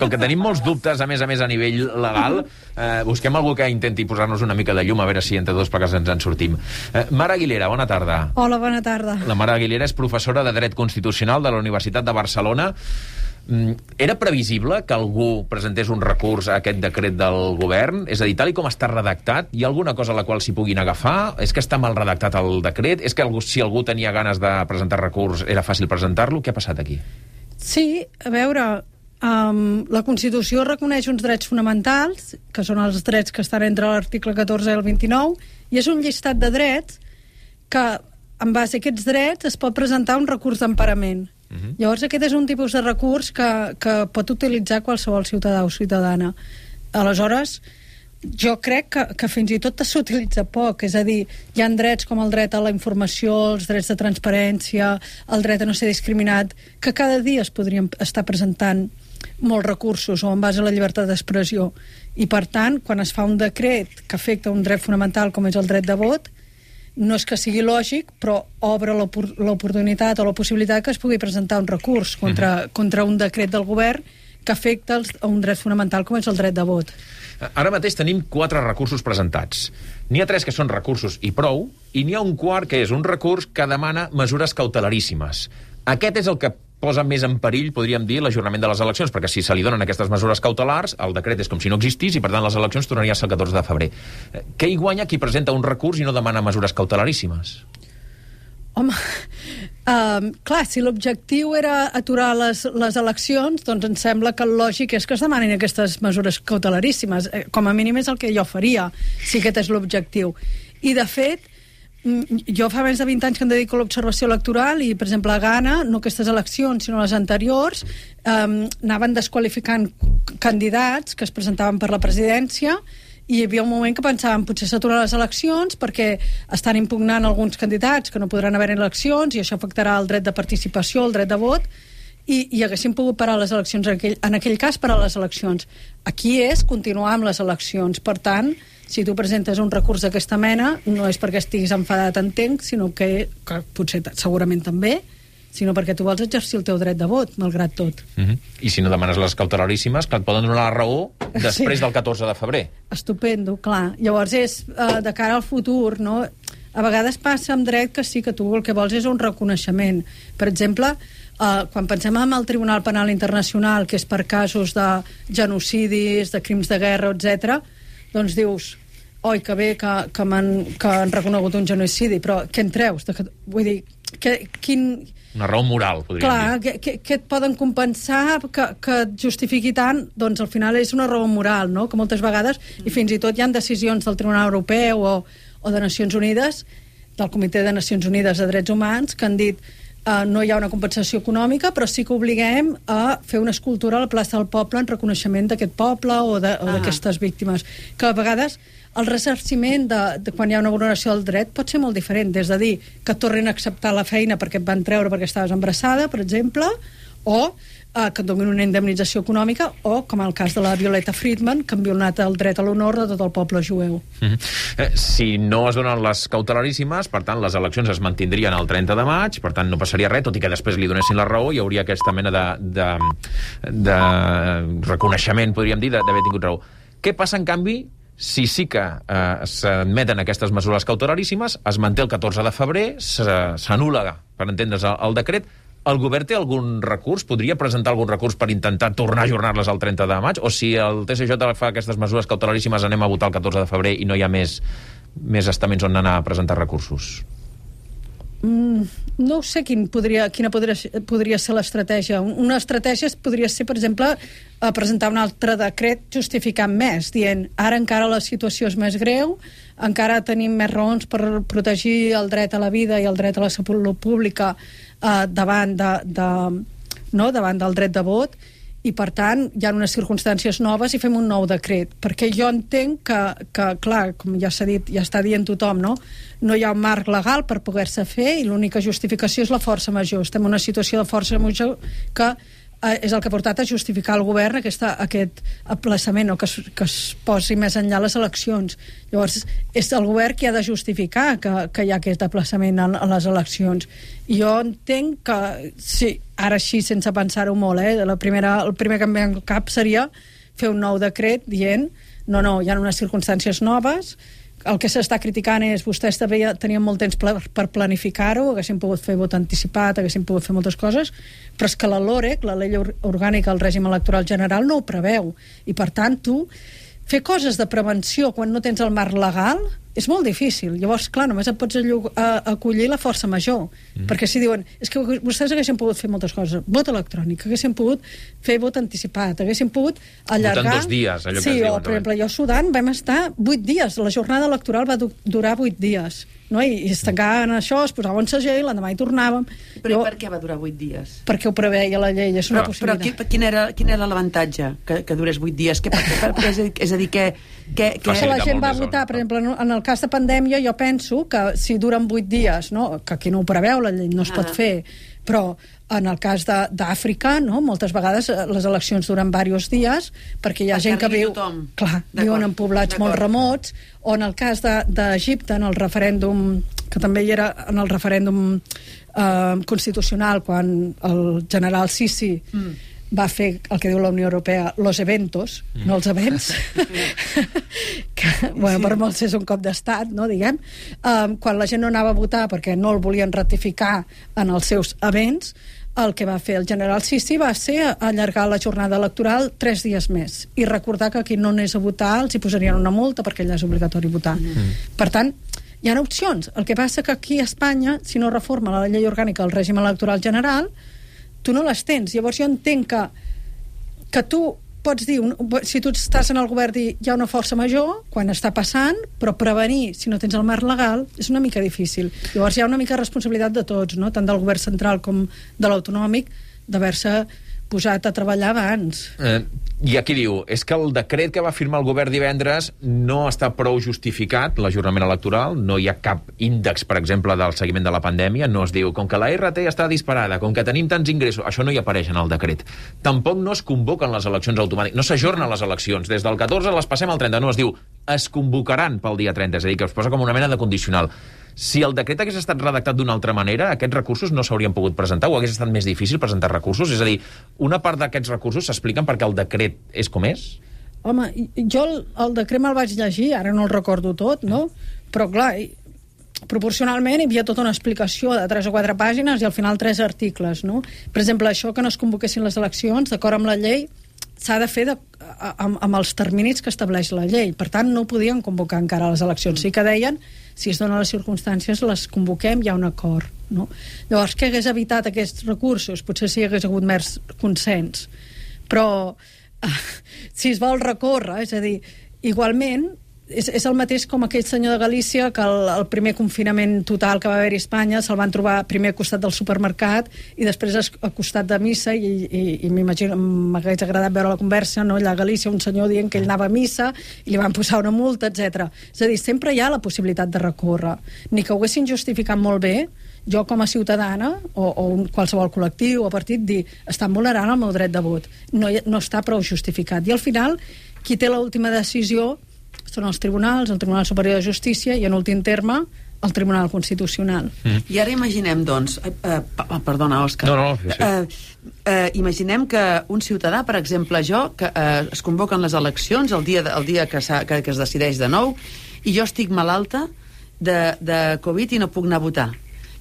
com que tenim molts dubtes, a més a nivell legal, busquem algú que intenti posar-nos una mica de llum, a veure si entre dos plegats ens en sortim. Mar Aguilera, bona tarda. Hola, bona tarda. La Mar Aguilera és professora de Dret Constitucional de la Universitat de Barcelona. Era previsible que algú presentés un recurs a aquest decret del govern? És a dir, tal i com està redactat, hi ha alguna cosa a la qual s'hi puguin agafar? És que està mal redactat el decret? És que si algú tenia ganes de presentar recurs era fàcil presentar-lo? Què ha passat aquí? Sí, a veure, la Constitució reconeix uns drets fonamentals, que són els drets que estan entre l'article 14 i el 29, i és un llistat de drets que, en base a aquests drets, es pot presentar un recurs d'emparament. Llavors aquest és un tipus de recurs que pot utilitzar qualsevol ciutadà o ciutadana. Aleshores, jo crec que fins i tot s'utilitza poc, és a dir, hi ha drets com el dret a la informació, els drets de transparència, el dret a no ser discriminat, que cada dia es podrien estar presentant molts recursos o en base a la llibertat d'expressió. I per tant, quan es fa un decret que afecta un dret fonamental com és el dret de vot, no és que sigui lògic, però obre l'oportunitat o la possibilitat que es pugui presentar un recurs contra un decret del govern que afecta un dret fonamental com és el dret de vot. Ara mateix tenim 4 recursos presentats. N'hi ha 3 que són recursos i prou, i n'hi ha un quart que és un recurs que demana mesures cautelaríssimes. Aquest és el que posa més en perill, podríem dir, l'ajornament de les eleccions, perquè si se li donen aquestes mesures cautelars, el decret és com si no existís i, per tant, les eleccions tornarien a ser el 14 de febrer. Què hi guanya qui presenta un recurs i no demana mesures cautelaríssimes? Home, clar, si l'objectiu era aturar les eleccions, doncs em sembla que el lògic és que es demanin aquestes mesures cautelaríssimes. Com a mínim és el que jo faria, si aquest és l'objectiu. I, de fet, jo fa més de 20 anys que em dedico a l'observació electoral i, per exemple, a Ghana, no aquestes eleccions, sinó les anteriors, anaven desqualificant candidats que es presentaven per la presidència i hi havia un moment que pensàvem potser s'aturen les eleccions perquè estan impugnant alguns candidats que no podran haver eleccions i això afectarà el dret de participació, el dret de vot i haguessin pogut parar les eleccions en aquell cas parar les eleccions. Aquí és continuar amb les eleccions. Per tant, si tu presentes un recurs d'aquesta mena no és perquè estiguis enfadat, entenc, sinó que potser segurament també, sinó perquè tu vols exercir el teu dret de vot, malgrat tot. I si no demanes les cautelaríssimes, que et poden donar la raó després del 14 de febrer. Estupendo, clar. Llavors és de cara al futur, no? A vegades passa amb dret que sí, que tu el que vols és un reconeixement. Per exemple, quan pensem en el Tribunal Penal Internacional, que és per casos de genocidis, de crims de guerra, etc., doncs dius, oi, que bé que han reconegut un genocidi, però què en treus? Vull dir, una raó moral, podríem dir. Clar, què et poden compensar que et justifiqui tant? Doncs al final és una raó moral, no? Que moltes vegades, i fins i tot hi ha decisions del Tribunal Europeu o de Nacions Unides, del Comitè de Nacions Unides de Drets Humans, que han dit no hi ha una compensació econòmica, però sí que obliguem a fer una escultura a la plaça del poble en reconeixement d'aquest poble o d'aquestes víctimes. Que a vegades el ressarciment de quan hi ha una vulneració del dret pot ser molt diferent, des de dir que et tornin a acceptar la feina perquè et van treure perquè estaves embarassada, per exemple, o que et donin una indemnització econòmica, o, com el cas de la Violeta Friedman, que han violat el dret a l'honor de tot el poble jueu. Si no es donen les cautelaríssimes, per tant, les eleccions es mantindrien el 30 de maig, per tant, no passaria res, tot i que després li donessin la raó, hi hauria aquesta mena de reconeixement, podríem dir, d'haver tingut raó. Què passa, en canvi, si sí que s'admeten aquestes mesures cautelaríssimes, es manté el 14 de febrer, s'anul·la, per entendre's, el decret. El govern té algun recurs? Podria presentar algun recurs per intentar tornar a ajornar-les al 30 de maig? O si el TSJ fa aquestes mesures cautelaríssimes anem a votar el 14 de febrer i no hi ha més estaments on anar a presentar recursos? No sé quina podria ser l'estratègia. Una estratègia podria ser, per exemple, presentar un altre decret justificant més, dient ara encara la situació és més greu, encara tenim més raons per protegir el dret a la vida i el dret a la salut pública davant del dret de vot, i per tant hi ha unes circumstàncies noves i fem un nou decret, perquè jo entenc que clar, com ja s'ha dit, ja està dient tothom, no hi ha un marc legal per poder-se fer i l'única justificació és la força major. Estem en una situació de força major que és el que ha portat a justificar el govern aquest aplaçament, o que es posi més enllà les eleccions. Llavors, és el govern qui ha de justificar que hi ha aquest aplaçament a les eleccions. I jo entenc que, sí, ara així, sense pensar-ho molt, el primer que em ve al cap seria fer un nou decret dient no, hi ha unes circumstàncies noves. El que s'està criticant és vostès tenien molt temps per planificar-ho, haguessin pogut fer vot anticipat, haguessin pogut fer moltes coses, però és que la LOREC, la Llei Orgànica del Règim Electoral General, no ho preveu. I, per tant, tu fer coses de prevenció quan no tens el marc legal és molt difícil. Llavors, clar, només et pots acollir la força major. Perquè si diuen, és que vostès haguessin pogut fer moltes coses, vot electrònic, haguessin pogut fer vot anticipat, haguessin pogut allargar... Votant 2 dies, allò que sí, es diuen. per exemple, jo a Sudan vam estar 8 dies, la jornada electoral va durar 8 dies, no? I es tancaven això, es posava un segell, l'endemà hi tornàvem. Però per què va durar 8 dies? Perquè ho preveia la llei, és una possibilitat. Però quin era l'avantatge que durés 8 dies? És a dir, que la gent va votar, per exemple, en el cas de pandèmia, jo penso que si duren 8 dies, no? Que aquí no ho preveu, la llei no es pot fer, però en el cas d'Àfrica, no? Moltes vegades les eleccions duren diversos dies perquè hi ha gent que viu... Clar, viuen en poblats molt remots, o en el cas d'Egipte, en el referèndum, que també hi era en el referèndum constitucional, quan el general Sisi va fer el que diu la Unió Europea, los eventos, no els events, que, bueno, per molts és un cop d'estat, no, diguem, quan la gent no anava a votar perquè no el volien ratificar en els seus events, el que va fer el general Sisi va ser allargar la jornada electoral 3 dies més i recordar que qui no anés a votar els hi posarien una multa perquè allà és obligatori votar. Per tant, hi ha opcions. El que passa que aquí a Espanya, si no reforma la llei orgànica del règim electoral general, tu no les tens. Llavors jo entenc que tu pots dir, si tu estàs en el govern, dir hi ha una força major quan està passant, però prevenir, si no tens el marc legal, és una mica difícil. Llavors hi ha una mica de responsabilitat de tots, no? Tant del govern central com de l'autonòmic, d'haver-se posat a treballar abans. I aquí diu, és que el decret que va firmar el govern divendres no està prou justificat, l'ajornament electoral, no hi ha cap índex, per exemple, del seguiment de la pandèmia, no es diu, com que la RT està disparada, com que tenim tants ingressos, això no hi apareix en el decret. Tampoc no es convoquen les eleccions automàtiques, no s'ajornen les eleccions, des del 14 les passem al 30, no, es diu, es convocaran pel dia 30, és a dir, que es posa com una mena de condicional. Si el decret hagués estat redactat d'una altra manera, aquests recursos no s'haurien pogut presentar, o hagués estat més difícil presentar recursos? És a dir, una part d'aquests recursos s'expliquen perquè el decret és com és? Home, jo el decret me'l vaig llegir, ara no el recordo tot, no? Però clar, proporcionalment hi havia tota una explicació de 3 o 4 pàgines i al final 3 articles, no? Per exemple, això que no es convoquessin les eleccions, d'acord amb la llei, s'ha de fer amb els terminis que estableix la llei. Per tant, no podien convocar encara les eleccions. Sí que deien, si es donen les circumstàncies, les convoquem, hi ha un acord. No? Llavors, què hagués evitat aquests recursos? Potser si hi hagués hagut més consens. Però si es vol recórrer, és a dir, igualment, és el mateix com aquell senyor de Galícia que el primer confinament total que va haver-hi a Espanya se'l van trobar primer al costat del supermercat i després al costat de missa i m'imagino, m'hagués agradat veure la conversa, no? Allà a Galícia un senyor dient que ell anava a missa i li van posar una multa, etc. És a dir, sempre hi ha la possibilitat de recórrer. Ni que ho haguessin justificat molt bé, jo com a ciutadana o qualsevol col·lectiu o partit dir, estan vulnerant el meu dret de vot. No està prou justificat. I al final, qui té l'última decisió són els tribunals, el Tribunal Superior de Justícia i, en últim terme, el Tribunal Constitucional. I ara imaginem, doncs... perdona, Òscar. No, sí. Imaginem que un ciutadà, per exemple, jo, que es convoquen les eleccions el dia que es decideix de nou, i jo estic malalta de Covid i no puc anar a votar.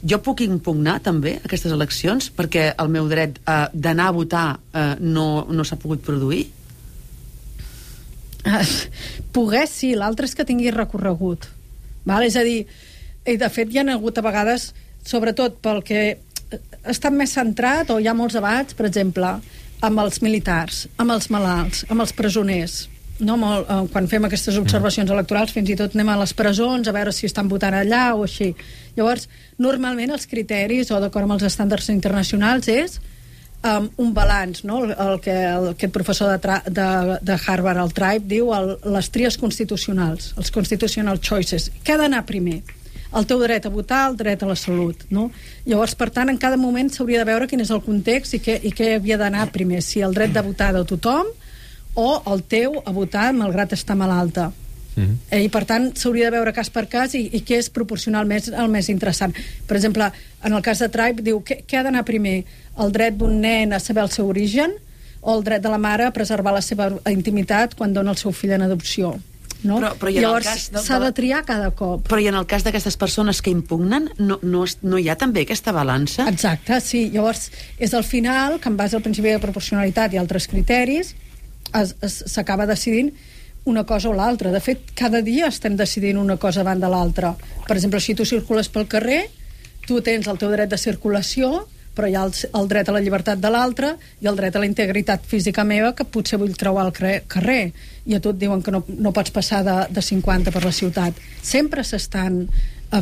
Jo puc impugnar, també, aquestes eleccions, perquè el meu dret d'anar a votar no s'ha pogut produir? Poder sí, l'altre és que tingui recorregut, val? És a dir, i de fet hi ha hagut a vegades, sobretot pel que ha estat més centrat, o hi ha molts debats, per exemple, amb els militars, amb els malalts, amb els presoners, no? Quan fem aquestes observacions electorals fins i tot anem a les presons a veure si estan votant allà o així. Llavors, normalment els criteris, o d'acord amb els estàndards internacionals, és un balanç, no? El que aquest professor de Harvard, el Tribe, diu les tries constitucionals, els constitutional choices. Què ha d'anar primer? el teu dret a votar, el dret a la salut, no? Llavors, per tant, en cada moment s'hauria de veure quin és el context i què havia d'anar primer, si el dret de votar de tothom o el teu a votar malgrat estar malalta. I per tant s'hauria de veure cas per cas i què és proporcionalment el més interessant. Per exemple, en el cas de Tribe diu què ha d'anar primer, el dret d'un nen a saber el seu origen o el dret de la mare a preservar la seva intimitat quan dona el seu fill en adopció, no? Però llavors s'ha de triar cada cop. Però i en el cas d'aquestes persones que impugnen no hi ha també aquesta balança? Exacte, sí, llavors és al final que en base al principi de proporcionalitat i altres criteris s'acaba decidint una cosa o l'altra. De fet, cada dia estem decidint una cosa davant de l'altra. Per exemple, si tu circules pel carrer, tu tens el teu dret de circulació, però hi ha el dret a la llibertat de l'altre i el dret a la integritat física meva, que potser vull creuar el carrer i a tu et diuen que no pots passar de 50 per la ciutat. Sempre s'estan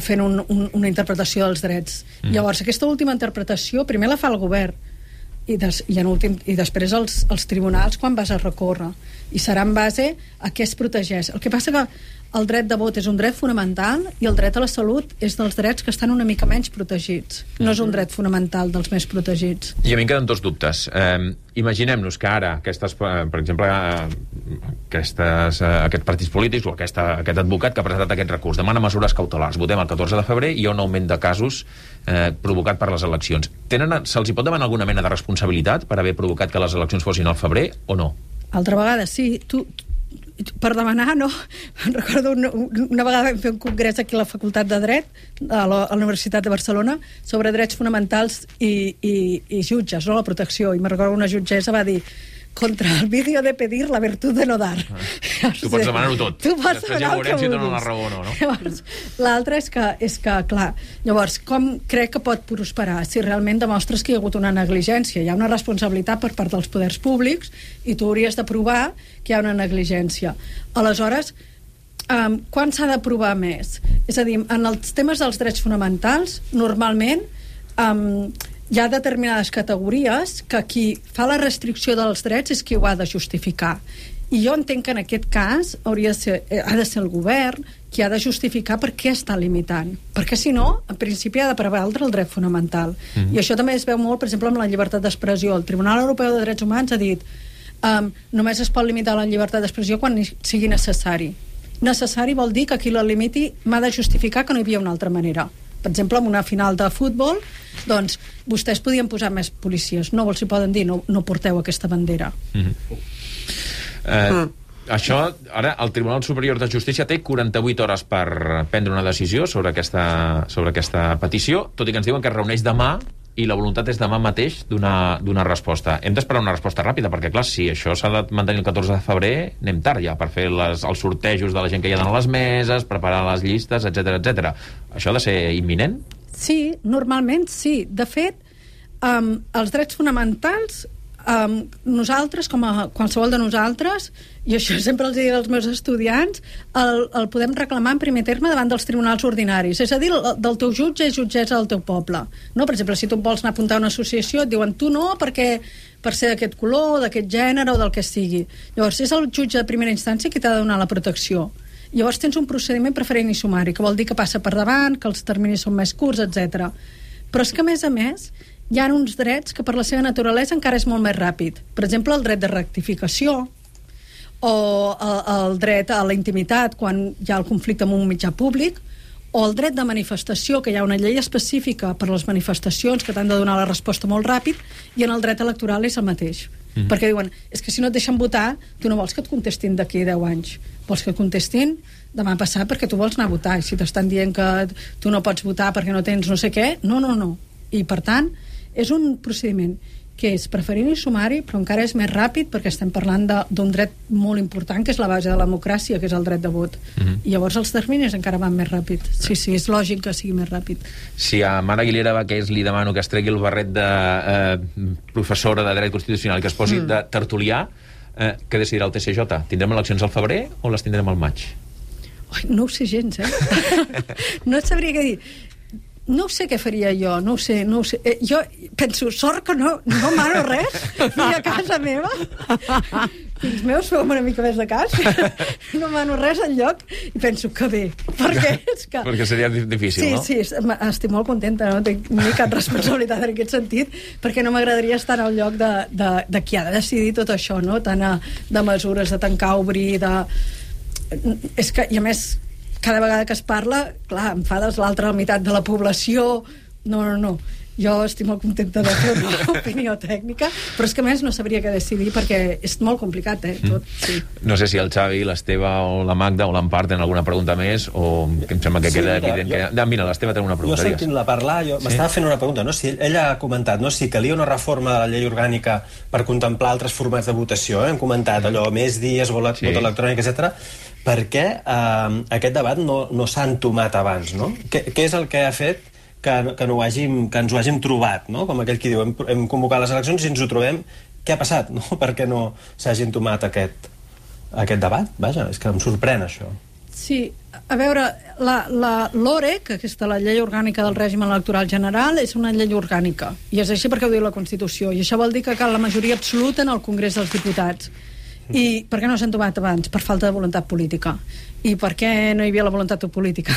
fent una interpretació dels drets. Llavors, aquesta última interpretació primer la fa el govern i després els tribunals quan vas a recórrer, i serà en base a què es protegeix. El que passa que el dret de vot és un dret fonamental i el dret a la salut és dels drets que estan una mica menys protegits. No és un dret fonamental dels més protegits. I a mi em queden dos dubtes. Imaginem-nos que ara per exemple, aquests partits polítics o aquest advocat que ha presentat aquest recurs demana mesures cautelars. Votem el 14 de febrer i hi ha un augment de casos provocat per les eleccions. Se'ls hi pot demanar alguna mena de responsabilitat per haver provocat que les eleccions fossin al febrer o no? Altra vegada, sí. Per demanar, no. Recordo una vegada vam fer un congrés aquí a la Facultat de Dret a la Universitat de Barcelona sobre drets fonamentals i jutges, no? La protecció, i me recordo una jutgessa va dir contra el vídeo de pedir la virtud de no dar. Tu pots demanar-ho tot. Tu pots després ja veurem si donen la raó o no, no? Llavors, l'altre és que, clar, llavors, com crec que pot prosperar? Si realment demostres que hi ha hagut una negligència. Hi ha una responsabilitat per part dels poders públics i tu hauries de provar que hi ha una negligència. Aleshores, quan s'ha de provar més? És a dir, en els temes dels drets fonamentals, normalment hi ha determinades categories que qui fa la restricció dels drets és qui ho ha de justificar. I jo entenc que en aquest cas ha de ser el govern qui ha de justificar per què està limitant. Perquè si no, en principi ha de prevaldre el dret fonamental. I això també es veu molt, per exemple, amb la llibertat d'expressió. El Tribunal Europeu de Drets Humans ha dit només es pot limitar la llibertat d'expressió quan sigui necessari. Necessari vol dir que qui la limiti m'ha de justificar que no hi havia una altra manera. Per exemple, en una final de futbol, doncs, vostès podien posar més policies. No els hi poden dir, no porteu aquesta bandera. Això, ara, el Tribunal Superior de Justícia té 48 hores per prendre una decisió sobre aquesta petició, tot i que ens diuen que es reuneix demà i la voluntat és demà mateix donar resposta. Hem d'esperar una resposta ràpida, perquè, clar, si això s'ha de mantenir el 14 de febrer, anem tard ja per fer els sortejos de la gent que hi ha a les meses, preparar les llistes, etc. Això ha de ser imminent? Sí, normalment sí. De fet, els drets fonamentals, nosaltres, com a qualsevol de nosaltres, i això sempre els dic als meus estudiants, el podem reclamar en primer terme davant dels tribunals ordinaris. És a dir, del teu jutge i jutgessa del teu poble. No? Per exemple, si tu vols anar a apuntar a una associació, et diuen tu no, perquè per ser d'aquest color, d'aquest gènere o del que sigui. Llavors, és el jutge de primera instància qui t'ha de donar la protecció. Llavors tens un procediment preferent i sumari, que vol dir que passa per davant, que els terminis són més curts, etc. Però és que, a més, hi ha uns drets que per la seva naturalesa encara és molt més ràpid. Per exemple, el dret de rectificació o el dret a la intimitat quan hi ha el conflicte amb un mitjà públic, o el dret de manifestació, que hi ha una llei específica per a les manifestacions que t'han de donar la resposta molt ràpid, i en el dret electoral és el mateix. Perquè diuen, és que si no et deixen votar, tu no vols que et contestin d'aquí 10 anys. Vols que et contestin demà passat perquè tu vols anar a votar. I si t'estan dient que tu no pots votar perquè no tens no sé què, no. I, per tant, és un procediment que és preferent i sumari, però encara és més ràpid perquè estem parlant d'un dret molt important, que és la base de la democràcia, que és el dret de vot. I llavors els terminis encara van més ràpid. Sí, és lògic que sigui més ràpid. Si a Mara Aguilera Baqués li demano que es tregui el barret de professora de dret constitucional i que es posi de tertulià, què decidirà el TCJ? Tindrem eleccions al febrer o les tindrem al maig? No ho sé gens, No et sabria què dir. No sé què faria jo, no ho sé. Jo penso, sort que no mano res ni a casa meva, fills meus, feu una mica més de cas. No mano res enlloc i penso que bé, perquè és que... Perquè seria difícil, no? Sí, estic molt contenta, no tinc ni cap responsabilitat en aquest sentit, perquè no m'agradaria estar al lloc de qui ha de decidir tot això, no? Tant de mesures, de tancar, obrir, És que, i a més, cada vegada que es parla, clar, enfades l'altra meitat de la població. No. Jo estic molt contenta de fer una opinió tècnica, però és que a més no sabria què decidir perquè és molt complicat, tot. Sí. No sé si el Xavi, l'Esteve o la Magda o l'Empar tenen alguna pregunta més o que em sembla que queda evident que... Mira, l'Esteve té una pregunta. Jo sentint-la parlar, m'estava fent una pregunta, no? Si ella ha comentat, no? Si calia una reforma de la llei orgànica per contemplar altres formats de votació, Hem comentat allò, més dies, vot electrònic, etc. Per què aquest debat no s'ha entomat abans, no? Què és el que ha fet que ens ho hàgim trobat, no? Com aquell qui diu, hem convocat les eleccions i ens ho trobem, què ha passat, no? Per què no s'hagi entomat aquest debat? Vaja, és que em sorprèn això. Sí, a veure, l'OREC, aquesta, la llei orgànica del règim electoral general, és una llei orgànica, i és així perquè ho diu la Constitució, i això vol dir que cal la majoria absoluta en el Congrés dels Diputats. I per què no s'han tomat abans? Per falta de voluntat política. I per què no hi havia la voluntat política?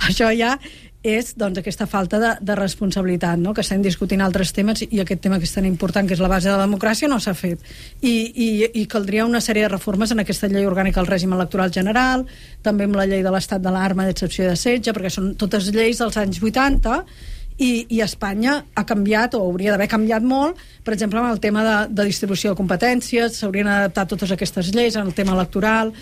Això ja és aquesta falta de responsabilitat, no? Que estem discutint altres temes i aquest tema que és tan important, que és la base de la democràcia, no s'ha fet. I caldria una sèrie de reformes en aquesta llei orgànica del règim electoral general, també amb la llei de l'estat d'alarma, d'excepció i de setge, perquè són totes lleis dels anys 80, i Espanya ha canviat, o hauria d'haver canviat molt, per exemple, amb el tema de distribució de competències, s'haurien adaptat totes aquestes lleis en el tema electoral.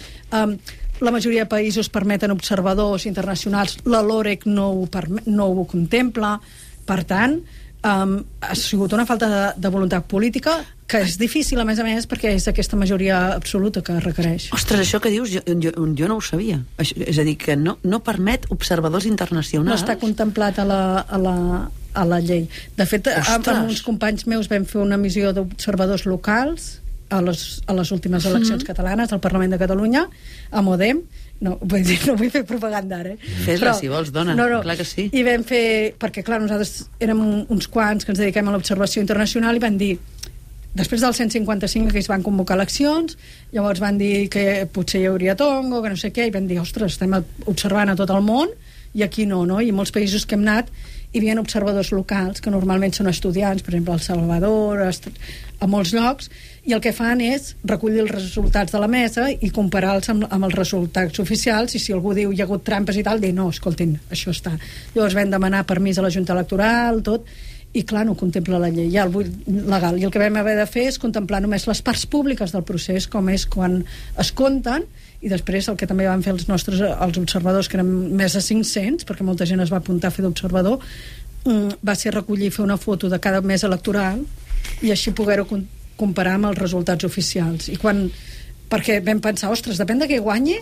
La majoria de països permeten observadors internacionals, la LOREC no ho contempla. Per tant, ha sigut una falta de voluntat política que és difícil, a més, perquè és aquesta majoria absoluta que requereix. Ostres, això que dius, jo no ho sabia. És a dir, que no permet observadors internacionals. No està contemplat a la llei. De fet, amb uns companys meus vam fer una missió d'observadors locals a les últimes eleccions catalanes al Parlament de Catalunya, a Modem. No vull fer propaganda ara. Fes-la, si vols, dona. No, clar que sí. I vam fer, perquè clar, nosaltres érem uns quants que ens dediquem a l'observació internacional i van dir, després del 155 que es van convocar eleccions, llavors van dir que potser hi hauria tongo, que no sé què, i van dir, ostres, estem observant a tot el món i aquí no? I en molts països que hem anat hi havia observadors locals, que normalment són estudiants, per exemple, al Salvador, a molts llocs, i el que fan és recollir els resultats de la mesa i comparar-los amb els resultats oficials, i si algú diu hi ha hagut trampes i tal, dir no, escoltin, això està. Llavors vam demanar permís a la Junta Electoral, tot, i clar, no contempla la llei, ja el buit legal. I el que vam haver de fer és contemplar només les parts públiques del procés, com és quan es compten, i després el que també van fer els observadors, que eren més de 500, perquè molta gent es va apuntar a fer d'observador, va ser recollir, fer una foto de cada mes electoral i així poder-ho comparar amb els resultats oficials. Perquè vam pensar, ostres, depèn de què guanyi,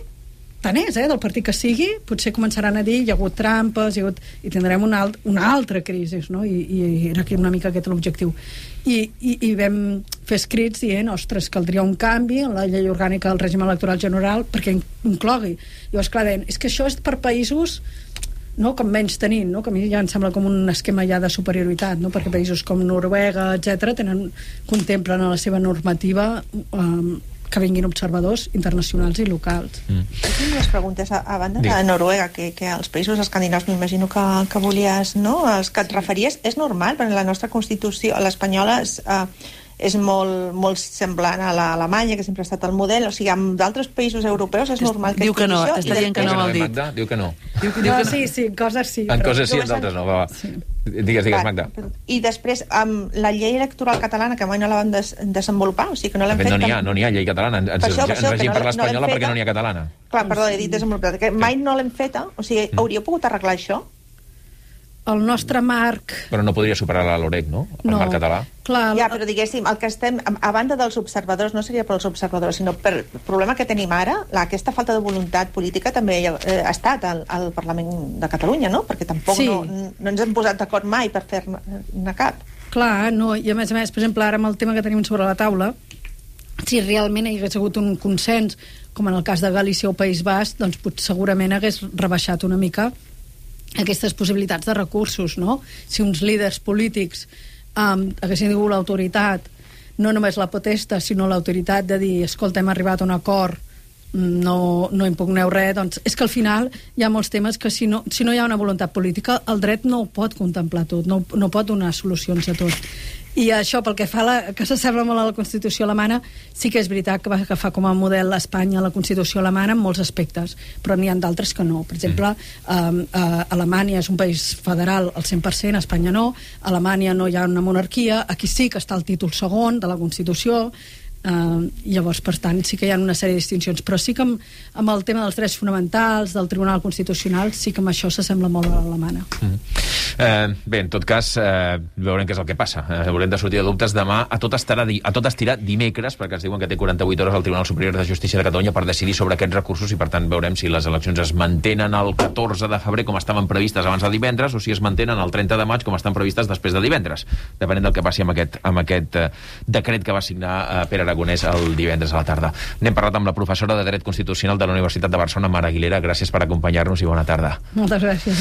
tant és, del partit que sigui, potser començaran a dir hi ha hagut trampes, i tindrem una altra crisi, no? I era aquí una mica aquest l'objectiu. I vam fer escrits dient, ostres, caldria un canvi en la llei orgànica del règim electoral general perquè inclogui. Llavors, clar, deien, és que això és per països, no, com menys tenint, no? Que a mi ja em sembla com un esquema ja de superioritat, no? Perquè països com Noruega, etc contemplen a la seva normativa que vinguin observadors internacionals i locals. Tinc dues preguntes. A banda de Noruega, que als països escandinaus m'imagino que volies, no? Els que et referies, és normal, perquè la nostra Constitució, l'espanyola, és molt semblant a l'Alemanya, que sempre ha estat el model. O sigui, en d'altres països europeus és normal que... Diu que no, està dient que no vol dir. Diu que no. Sí, en coses sí. En coses sí, en d'altres no. Digues, Magda. I després, amb la llei electoral catalana, que mai no la van desenvolupar, o sigui que no l'hem fet... No n'hi ha llei catalana. Ens regim per l'espanyola perquè no n'hi ha catalana. Clar, perdó, he dit desenvolupat. Mai no l'hem feta, o sigui, hauríeu pogut arreglar això? El nostre marc... Però no podria superar la LOREC, no? El marc català. Clar, ja, però diguéssim, el que estem... A banda dels observadors, no seria pels observadors, sinó per el problema que tenim ara, aquesta falta de voluntat política també ha estat al Parlament de Catalunya, no? Perquè tampoc no ens hem posat d'acord mai per fer-ne cap. Clar, no, i a més, per exemple, ara amb el tema que tenim sobre la taula, si realment hi hagués hagut un consens, com en el cas de Galícia o País Basc, doncs segurament hagués rebaixat una mica aquestes possibilitats de recursos, no? Si uns líders polítics haguessin tingut l'autoritat no només la potesta, sinó l'autoritat de dir, escolta, hem arribat a un acord, no impugneu res, doncs és que al final hi ha molts temes que si no hi ha una voluntat política, el dret no ho pot contemplar tot, no pot donar solucions a tot. I això, pel que fa que s'assembla molt a la Constitució alemana, sí que és veritat que va agafar com a model Espanya la Constitució alemana en molts aspectes, però n'hi ha d'altres que no. Per exemple, Alemanya és un país federal al 100%, Espanya no. A Alemanya no hi ha una monarquia, aquí sí que està el títol segon de la Constitució. Llavors, per tant, sí que hi ha una sèrie de distincions, però sí que amb el tema dels drets fonamentals, del Tribunal Constitucional, sí que amb això s'assembla molt a l'alemana. Bé, en tot cas, veurem què és el que passa. Haurem de sortir de dubtes demà. A tot estirar dimecres, perquè ens diuen que té 48 hores al Tribunal Superior de Justícia de Catalunya per decidir sobre aquests recursos i, per tant, veurem si les eleccions es mantenen el 14 de febrer com estaven previstes abans de divendres o si es mantenen el 30 de maig com estan previstes després de divendres, depenent del que passi amb aquest decret que va signar Pere Aragonès el divendres a la tarda. N'hem parlat amb la professora de Dret Constitucional de la Universitat de Barcelona, Mar Aguilera. Gràcies per acompanyar-nos i bona tarda. Moltes gràcies.